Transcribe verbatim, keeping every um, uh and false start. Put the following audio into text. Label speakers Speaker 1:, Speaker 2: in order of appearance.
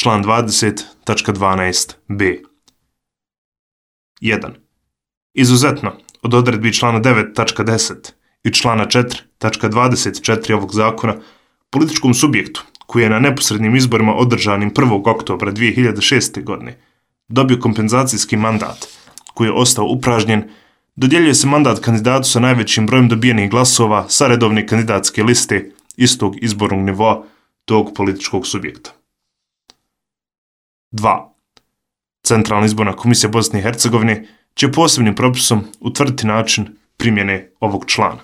Speaker 1: član dvadeset tačka dvanaest b. jedan. Izuzetno od odredbi člana devet tačka deset i člana četiri tačka dvadeset četiri ovog zakona, političkom subjektu koji je na neposrednim izborima održanim prvog oktobra dvije hiljade šeste. godine dobio kompenzacijski mandat koji je ostao upražnjen, dodjeljuje se mandat kandidatu sa najvećim brojem dobijenih glasova sa redovne kandidatske liste istog izbornog nivoa tog političkog subjekta. dva. Centralna izborna komisija Bosne i Hercegovine će posebnim propisom utvrditi način primjene ovog člana.